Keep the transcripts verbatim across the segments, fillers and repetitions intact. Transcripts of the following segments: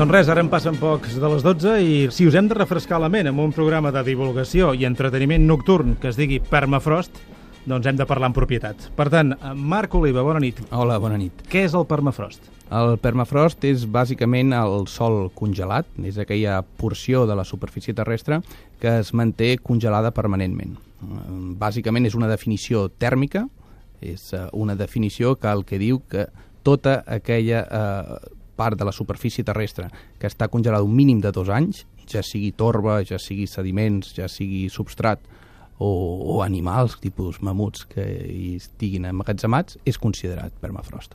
Doncs res, ara en passen pocs de les dotze i si us hem de refrescar la ment amb un programa de divulgació i entreteniment nocturn que es digui Permafrost, doncs hem de parlar en propietat. Per tant, Marc Oliva, bona nit. Hola, bona nit. Què és el permafrost? El permafrost és bàsicament el sòl congelat, és aquella porció de la superfície terrestre que es manté congelada permanentment. Bàsicament és una definició tèrmica, és una definició que el que diu que tota aquella eh, part de la superfície terrestre que està congelada un mínim de dos anys, ja sigui torba, ja sigui sediments, ja sigui substrat o, o animals, tipus mamuts que hi estiguin emmagatzemats, és considerat permafrost.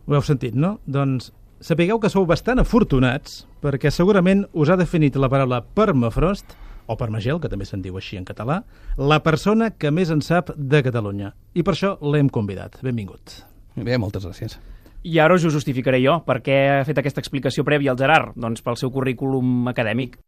Ho heu sentit, no? Doncs sapigueu que sou bastant afortunats perquè segurament us ha definit la paraula permafrost, o permagel, que també se'n diu així en català, la persona que més en sap de Catalunya. I per això l'hem convidat. Benvingut. Bé, moltes gràcies. I ara us ho justificaré jo. Per què ha fet aquesta explicació prèvia al Gerard? Doncs pel seu currículum acadèmic.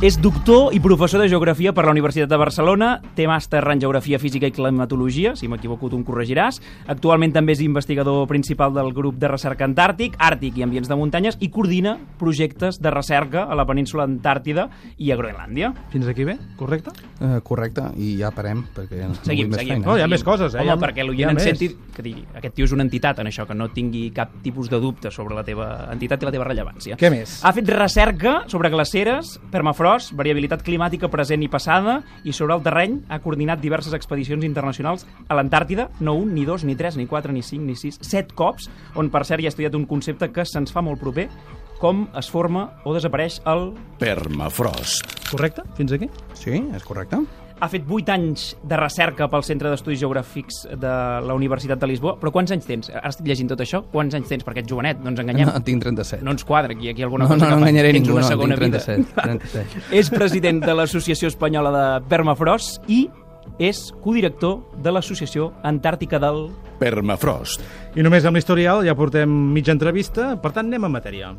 És doctor i professor de Geografia per la Universitat de Barcelona, té màster en Geografia Física i Climatologia, si m'equivoco tu em corregiràs. Actualment també és investigador principal del grup de recerca Antàrtic, Àrtic i Ambients de Muntanyes i coordina projectes de recerca a la península Antàrtida i a Groenlàndia. Fins aquí bé? Correcte? Uh, correcte, i ja parem, perquè no seguim, vull més seguim. feina. Oh, hi ha més coses, eh? Home, ha, perquè l'oient en senti que digui, aquest tio és una entitat en això, que no tingui cap tipus de dubte sobre la teva entitat i la teva rellevància. Què més? Ha fet recerca sobre glaceres, permafrost, variabilitat climàtica present i passada, i sobre el terreny ha coordinat diverses expedicions internacionals a l'Antàrtida, no un, ni dos, ni tres, ni quatre, ni cinc, ni sis, set cops, on per cert hi ha estudiat un concepte que se'ns fa molt proper, com es forma o desapareix el permafrost. Correcte? Fins aquí? Sí, és correcte. Ha fet vuit anys de recerca pel Centre d'Estudis Geogràfics de la Universitat de Lisboa, però quants anys tens? Ara estic llegint tot això. Quants anys tens? Perquè ets jovenet, no ens enganyem. No, tinc trenta-set. No ens quadra aquí, aquí alguna no, cosa no, que no enganyaré tens ningú, una no, segona tinc trenta-set. vida. trenta-set. És president de l'Associació Espanyola de Permafrost i és codirector de l'Associació Antàrtica del Permafrost. I només amb l'historial ja portem mitja entrevista, per tant anem a matèria.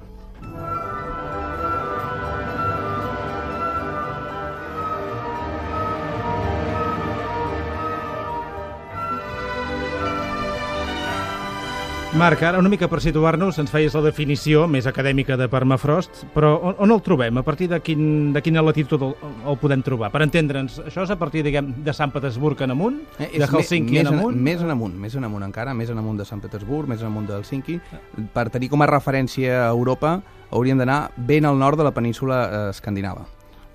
Marc, ara una mica per situar-nos, ens feies la definició més acadèmica de permafrost, però on, on el trobem? A partir de, quin, de quina latitud el, el podem trobar? Per entendre'ns, això és a partir, diguem, de Sant Petersburg en amunt? Eh, de Helsinki més en amunt? Més en amunt, més en amunt encara, més en amunt de Sant Petersburg, més en amunt de Helsinki. Per tenir com a referència a Europa, hauríem d'anar ben al nord de la península eh, escandinava,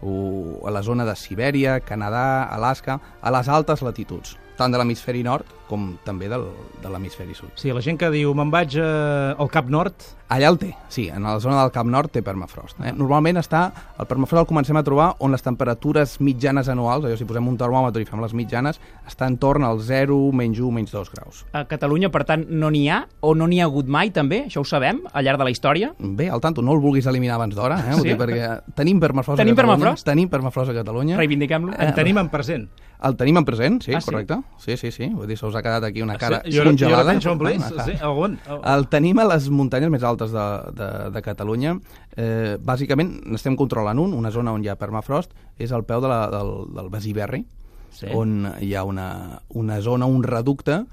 o a la zona de Sibèria, Canadà, Alaska, a les altes latituds, tant de l'hemisferi nord com també del, de l'hemisferi sud. Sí, la gent que diu, me'n vaig eh, al Cap Nord... Allà el té, sí, en la zona del Cap Nord té permafrost. Eh? Normalment està, el permafrost el comencem a trobar on les temperatures mitjanes anuals, allò si posem un termòmetre i fem les mitjanes, està entorn al zero, menys u, menys dos graus. A Catalunya, per tant, no n'hi ha, o no n'hi ha hagut mai, també, això ho sabem, al llarg de la història. Bé, al tanto, no el vulguis eliminar abans d'hora, eh? Sí? Dir, perquè tenim permafrost tenim a Catalunya. Permafrost? Tenim permafrost a Catalunya. Reivindiquem-lo. En tenim en present. El tenim en present, sí, ah, sí? correcte. Sí, sí, sí. Vull dir, se us ha quedat aquí una cara sí, jo, congelada. Jo no penso en sí, algun. El tenim a les muntanyes més altes de, de, de Catalunya. Eh, bàsicament, n'estem controlant un, una zona on hi ha permafrost, és al peu de la, del, del Besiberri, sí. On hi ha una, una zona, un reducte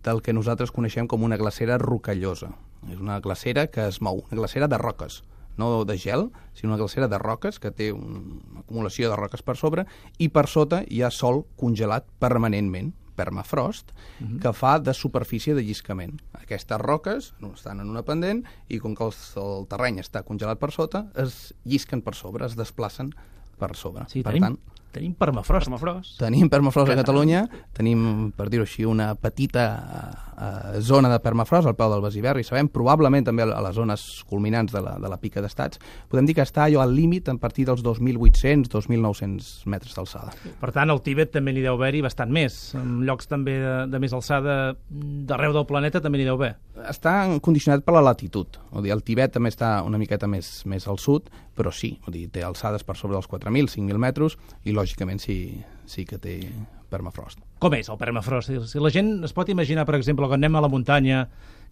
del que nosaltres coneixem com una glacera rocallosa. És una glacera que es mou, una glacera de roques, no de gel, sinó una glacera de roques que té una acumulació de roques per sobre i per sota hi ha sòl congelat permanentment, permafrost, uh-huh. que fa de superfície de lliscament. Aquestes roques estan en una pendent i com que el, el terreny està congelat per sota, es llisquen per sobre, es desplacen per sobre. Sí, per tenim, tant, tenim permafrost. permafrost. Tenim permafrost a Catalunya, tenim, per dir-ho així, una petita uh, zona de permafrost al peu del Besiberri, sabem, probablement també a les zones culminants de la, de la pica d'Estats. Podem dir que està allò al límit a partir dels dos mil vuit-cents dos mil nou-cents metres d'alçada. Per tant, al Tibet també n'hi deu haver-hi bastant més. En llocs també de, de més alçada d'arreu del planeta també n'hi deu haver. Està condicionat per la latitud. Vull dir, el Tibet també està una miqueta més, més al sud, però sí, vull dir, té alçades per sobre dels quatre mil, cinc mil metres i lògicament sí, sí que té permafrost. Com és el permafrost? Si la gent es pot imaginar, per exemple, que anem a la muntanya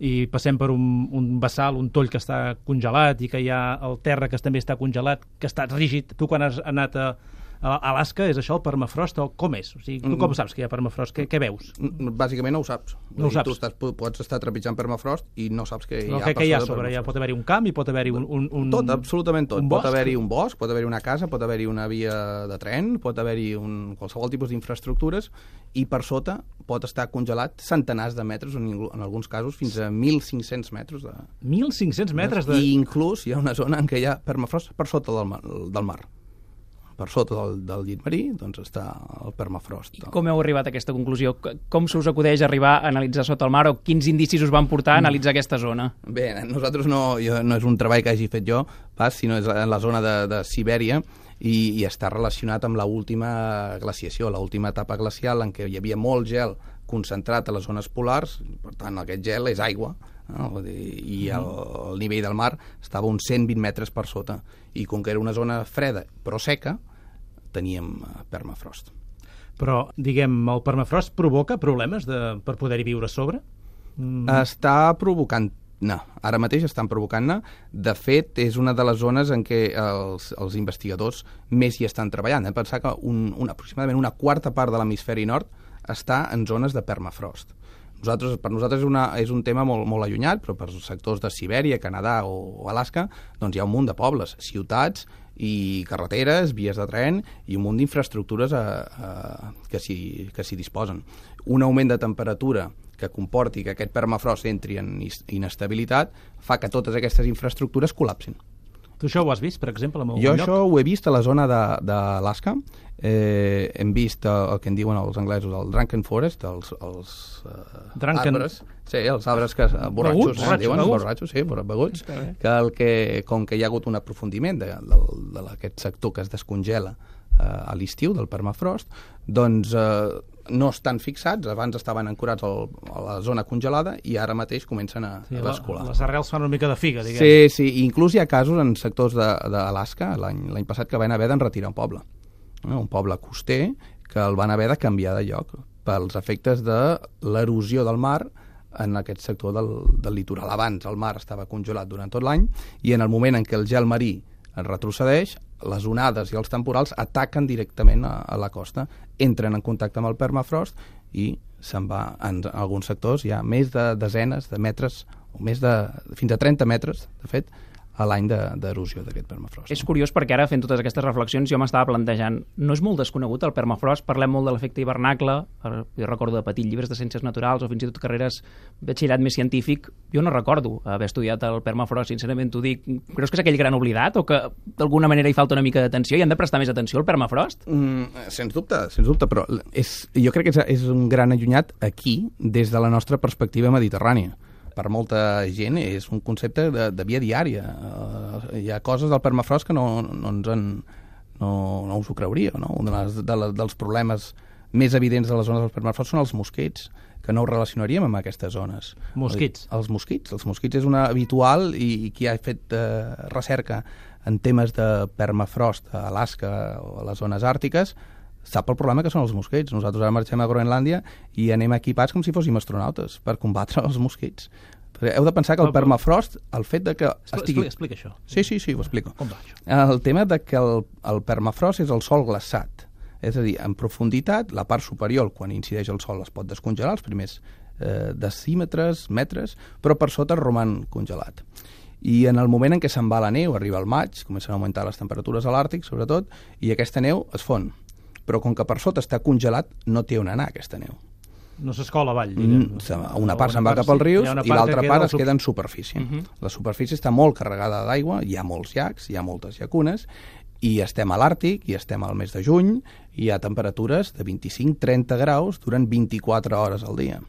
i passem per un, un bassal, un toll que està congelat i que hi ha el terra que també està congelat, que està rígid. Tu quan has anat a, Alaska és això, el permafrost, o com és? O sigui, tu com saps que hi ha permafrost? Què, què veus? Bàsicament no ho saps. No ho saps. Tu estàs, pots estar trepitjant permafrost i no saps que hi ha... Què, què hi ha sobre? Ja pot haver-hi un camp i pot haver-hi un, un, un... Tot, absolutament tot. Un pot bosc? haver-hi un bosc, pot haver-hi una casa, pot haver-hi una via de tren, pot haver-hi un, qualsevol tipus d'infraestructures, i per sota pot estar congelat centenars de metres, en, en alguns casos fins a mil cinc-cents metres. De... mil cinc-cents metres de... I inclús hi ha una zona en què hi ha permafrost per sota del mar. Del mar. Per sota del, del llit marí, doncs està el permafrost. I com heu arribat a aquesta conclusió? Com se us acudeix arribar a analitzar sota el mar, o quins indicis us van portar a analitzar aquesta zona? Bé, nosaltres no, jo, no és un treball que hagi fet jo, pas, sinó és en la zona de, de Sibèria, i, i està relacionat amb l'última glaciació, l'última etapa glacial en què hi havia molt gel concentrat a les zones polars, per tant aquest gel és aigua, no? I el, el nivell del mar estava uns cent vint metres per sota, i com que era una zona freda però seca, teníem permafrost. Però, diguem, el permafrost provoca problemes de, per poder-hi viure a sobre? Mm. Està provocant no, ara mateix estan provocant-ne. De fet, és una de les zones en què els, els investigadors més hi estan treballant. Hem de pensar que un, un, aproximadament una quarta part de l'hemisferi nord està en zones de permafrost. Nosaltres, per nosaltres és, una, és un tema molt, molt allunyat, però per sectors de Sibèria, Canadà o, o Alaska, doncs hi ha un munt de pobles, ciutats i carreteres, vies de tren i un munt d'infraestructures a, a, que s'hi disposen. Un augment de temperatura que comporti que aquest permafrost entri en inestabilitat fa que totes aquestes infraestructures col·lapsin. Tu això ho has vist, per exemple, en algun jo lloc? Això ho he vist a la zona d'Alaska. Eh, hem vist el, el que en diuen els anglesos, el Drunken Forest, els, els uh, Drunken... arbres. Sí, els arbres que... Borratxos, borratxos, diuen, beguts. borratxos, sí, beguts. Que, el que com que hi ha hagut un aprofundiment d'aquest sector que es descongela eh, a l'estiu, del permafrost, doncs eh, no estan fixats, abans estaven ancorats al, a la zona congelada i ara mateix comencen a, sí, a bascular. Les arrels fan una mica de figa, diguem. Sí, sí, inclús hi ha casos en sectors d'Alaska, l'any passat, que van haver d'enretirar un poble. No? Un poble coster que el van haver de canviar de lloc pels efectes de l'erosió del mar en aquest sector del, del litoral. Abans el mar estava congelat durant tot l'any i en el moment en què el gel marí es retrocedeix, les onades i els temporals ataquen directament a, a la costa, entren en contacte amb el permafrost i se'n va, en alguns sectors hi ha més de desenes de metres, o més de, fins a trenta metres, de fet, a l'any d'erosió d'aquest permafrost. És curiós perquè ara, fent totes aquestes reflexions, jo m'estava plantejant, no és molt desconegut el permafrost? Parlem molt de l'efecte hivernacle, jo recordo de petit llibres de ciències naturals o fins i tot carreres de batxillerat més científic, jo no recordo haver estudiat el permafrost, sincerament t'ho dic. Creus que és aquell gran oblidat o que d'alguna manera hi falta una mica d'atenció i han de prestar més atenció al permafrost? Mm, sens dubte, sens dubte, però és, jo crec que és, és un gran allunyat aquí des de la nostra perspectiva mediterrània. Per molta gent és un concepte de, de via diària. Uh, hi ha coses del permafrost que no, no ens en, no, no us ho creuríeu, no? Un de les, de la, dels problemes més evidents de les zones del permafrost són els mosquits, que no ho relacionaríem amb aquestes zones. Mosquits? Els mosquits. Els mosquits és una habitual i, i qui ha fet uh, recerca en temes de permafrost a Alaska o a les zones àrtiques sap el problema que són els mosquits. Nosaltres ara marxem a Groenlàndia i anem equipats com si fóssim astronautes per combatre els mosquits. Però heu de pensar que el permafrost, el fet de que estigui... Explica, explica això. Sí, sí, sí, ho explico. Com va això? El tema de que el, el permafrost és el sòl glaçat. És a dir, en profunditat, la part superior, quan incideix el sol, es pot descongelar, els primers eh, decímetres, metres, però per sota roman congelat. I en el moment en què se'n va la neu, arriba el maig, comencen a augmentar les temperatures a l'Àrtic, sobretot, i aquesta neu es fon. Però com que per sota està congelat, no té on anar aquesta neu. No s'escola avall, diguem. Mm, una part se'n va cap als rius i l'altra part es queda en superfície. Uh -huh. La superfície està molt carregada d'aigua, hi ha molts llacs, hi ha moltes llacunes, i estem a l'Àrtic, i estem al mes de juny, i hi ha temperatures de vint-i-cinc a trenta graus durant vint-i-quatre hores al dia.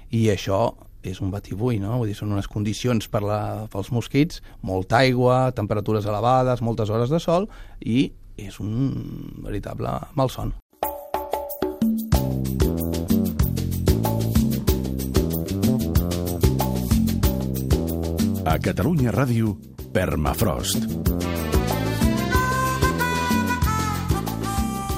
I això és un batibull, no? Vull dir, són unes condicions per la, pels mosquits, molta aigua, temperatures elevades, moltes hores de sol, i és un veritable malson. A Catalunya Ràdio, Permafrost.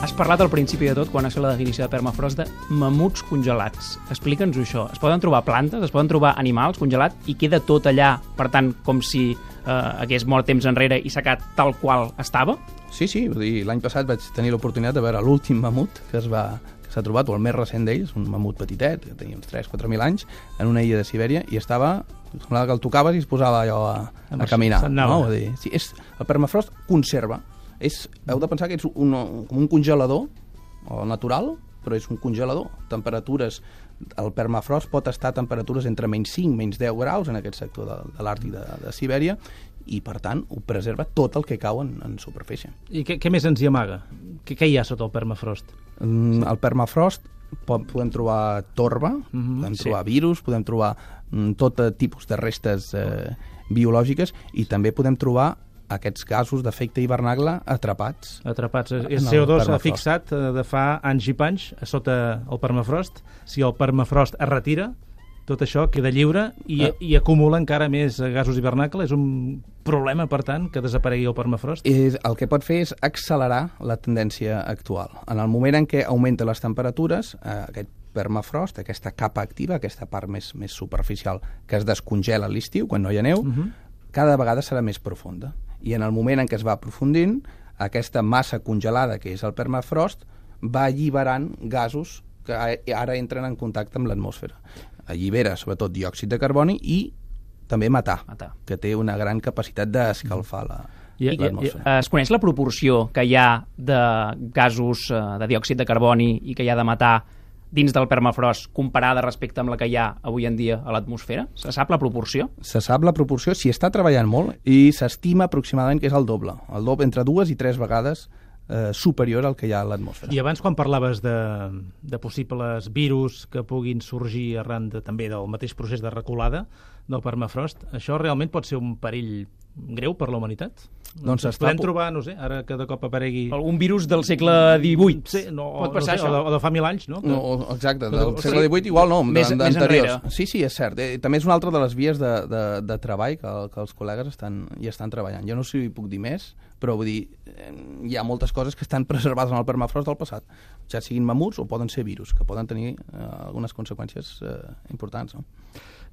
Has parlat al principi de tot, quan has fet la definició de permafrost, de mamuts congelats. Explica'ns això. Es poden trobar plantes, es poden trobar animals congelats i queda tot allà, per tant, com si eh, hagués mort temps enrere i s'ha quedat tal qual estava? Sí, sí, vull dir, l'any passat vaig tenir l'oportunitat de veure l'últim mamut que es va que s'ha trobat, o el més recent d'ells, un mamut petitet, que tenia uns tres quatre mil anys, en una illa de Sibèria, i estava, semblava que el tocaves i es posava allò a, a caminar. No? Vull dir, sí, és, el permafrost conserva. És, heu de pensar que és un, com un congelador, o natural, però és un congelador. Temperatures, el permafrost pot estar a temperatures entre menys cinc, menys deu graus en aquest sector de, de l'Àrtic de, de Sibèria, i per tant ho preserva tot el que cau en, en superfície. I què, què més ens hi amaga? Què, què hi ha sota el permafrost? Mm, el permafrost pot, podem trobar torba, mm-hmm, podem sí. trobar virus, podem trobar mm, tot tipus de restes eh, biològiques, i també podem trobar aquests gasos d'efecte hivernacle atrapats. Atrapats. El C O dos s'ha fixat de fa anys i panys a sota el permafrost. Si el permafrost es retira, tot això queda lliure i, ah. i acumula encara més gasos hivernacle. És un problema, per tant, que desaparegui el permafrost? És, el que pot fer és accelerar la tendència actual. En el moment en què augmenten les temperatures, eh, aquest permafrost, aquesta capa activa, aquesta part més, més superficial que es descongela a l'estiu, quan no hi ha neu, uh-huh. cada vegada serà més profunda. I en el moment en què es va aprofundint, aquesta massa congelada, que és el permafrost, va alliberant gasos que ara entren en contacte amb l'atmosfera. Allibera, sobretot, diòxid de carboni i també metà, metà. que té una gran capacitat d'escalfar la, I, l'atmosfera. Es coneix la proporció que hi ha de gasos de diòxid de carboni i que hi ha de metà dins del permafrost comparada respecte amb la que hi ha avui en dia a l'atmosfera? Se sap la proporció? Se sap la proporció, s'hi està treballant molt, i s'estima aproximadament que és el doble. El doble, entre dues i tres vegades eh, superior al que hi ha a l'atmosfera. I abans, quan parlaves de, de possibles virus que puguin sorgir arran de, també del mateix procés de reculada del permafrost, això realment pot ser un perill greu per la humanitat? Doncs Ens podem trobar, no sé, ara que de cop aparegui... Algun virus del segle divuit. Sí, no, pot passar, no sé, o, de, o de fa mil anys, no? Que... no exacte, del o segle divuit igual no, més, més enrere. Sí, sí, és cert. Eh, també és una altra de les vies de, de, de treball que, que els col·legues estan, hi estan treballant. Jo no sé si hi puc dir més, però vull dir, eh, hi ha moltes coses que estan preservades en el permafrost del passat, ja siguin mamuts o poden ser virus, que poden tenir eh, algunes conseqüències eh, importants, no?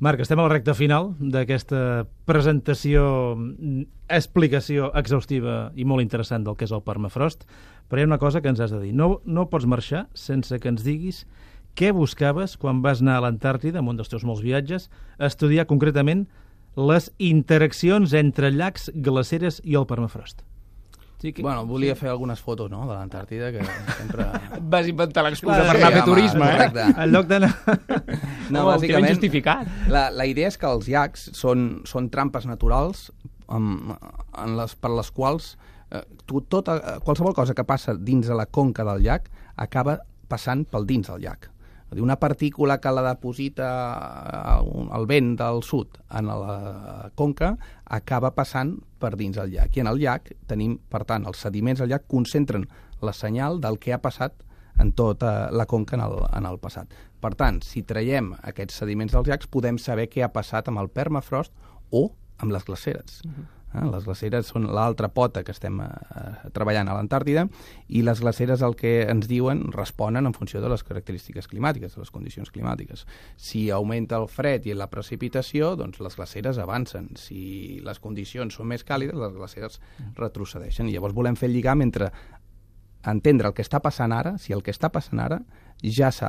Marc, estem a la recta final d'aquesta presentació, explicació exhaustiva i molt interessant del que és el permafrost, però hi ha una cosa que ens has de dir. No, no pots marxar sense que ens diguis què buscaves quan vas anar a l'Antàrtida, en un dels teus molts viatges, a estudiar concretament les interaccions entre llacs, glaceres i el permafrost. Sí, que... Bueno, volia fer algunes fotos, no?, de l'Antàrtida, que sempre... Vas inventar l'excusa per anar a fer turisme, eh? En lloc d'anar... No, oh, bàsicament, justificat. La, la idea és que els llacs són, són trampes naturals en, en les, per les quals eh, tu, tota, qualsevol cosa que passa dins de la conca del llac acaba passant pel dins del llac. Una partícula que la deposita el vent del sud en la conca acaba passant per dins del llac. I en el llac tenim, per tant, els sediments del llac concentren la senyal del que ha passat en tota la conca en el, en el passat. Per tant, si traiem aquests sediments dels llacs, podem saber què ha passat amb el permafrost o amb les glaceres. Uh-huh. Eh? Les glaceres són l'altra pota que estem eh, treballant a l'Antàrtida, i les glaceres el que ens diuen responen en funció de les característiques climàtiques, de les condicions climàtiques. Si augmenta el fred i la precipitació, doncs les glaceres avancen. Si les condicions són més càlides, les glaceres retrocedeixen. I llavors volem fer el lligam entre entendre el que està passant ara, si el que està passant ara ja s'ha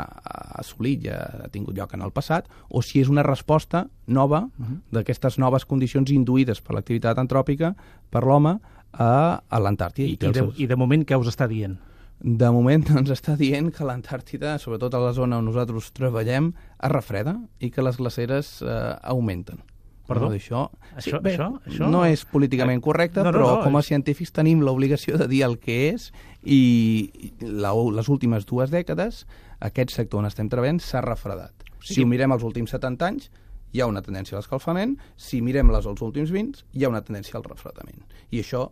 assolit, ja ha tingut lloc en el passat, o si és una resposta nova uh-huh. d'aquestes noves condicions induïdes per l'activitat antròpica per l'home a, a l'Antàrtida. I, i, de, I de moment què us està dient? De moment ens està dient que l'Antàrtida, sobretot a la zona on nosaltres treballem, es refreda i que les glaceres eh, augmenten. Perdó? No, això, això, sí, bé, això, això no és políticament correcte, no, no, però no, com a científics tenim l'obligació de dir el que és, i la, les últimes dues dècades aquest sector on estem treballant s'ha refredat. Sí. Si ho mirem els últims setanta anys, hi ha una tendència a l'escalfament. Si mirem les els últims vint, hi ha una tendència al refredament. I això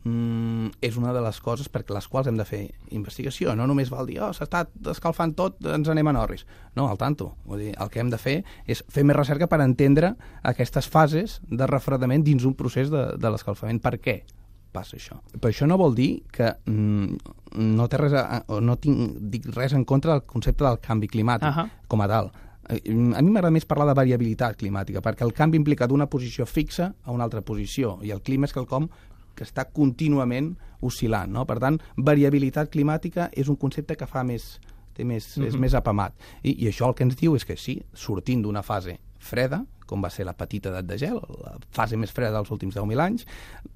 mm, és una de les coses per les quals hem de fer investigació. No només val dir, oh, s'està escalfant tot, ens anem a Norris. No, al tanto. Vull dir, el que hem de fer és fer més recerca per entendre aquestes fases de refredament dins un procés de, de l'escalfament. Per què passa això? Però això no vol dir que mm, no té res a, no tinc, dic res en contra del concepte del canvi climàtic uh-huh. com a tal. a mi m'agrada més parlar de variabilitat climàtica, perquè el canvi implica d'una posició fixa a una altra posició, i el clima és quelcom que està contínuament oscil·lant, no? Per tant, variabilitat climàtica és un concepte que fa més, té més, mm-hmm. és més apamat. I, I això el que ens diu és que sí, sortint d'una fase freda, com va ser la petita edat de gel, la fase més freda dels últims deu mil anys,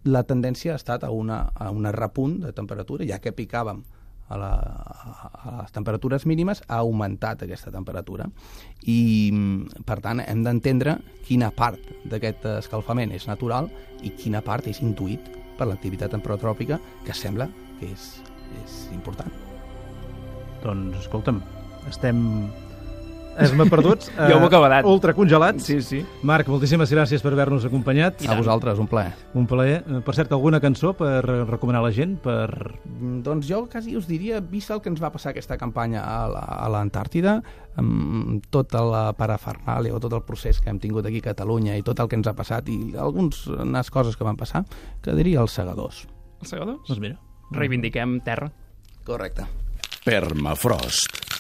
la tendència ha estat a una, a una repunt de temperatura, ja que picàvem a, la, a les temperatures mínimes, ha augmentat aquesta temperatura. I, per tant, hem d'entendre quina part d'aquest escalfament és natural i quina part és intuït per l'activitat antrotròpica, que sembla que és, és important. Doncs, escolta'm, estem... Esme perduts, eh, ja ho acabat. Ultracongelats. Sí, sí. Marc, moltíssimes gràcies per haver-nos acompanyat. A vosaltres, un plaer. Un plaer. Per cert, alguna cançó per recomanar a la gent? Per... Doncs jo quasi us diria, vist el que ens va passar aquesta campanya a l'Antàrtida, amb tota la parafernàlia o tot el procés que hem tingut aquí a Catalunya i tot el que ens ha passat i algunes coses que van passar, que diria els segadors. Els segadors? Doncs mira. Reivindiquem terra. Correcte. Permafrost.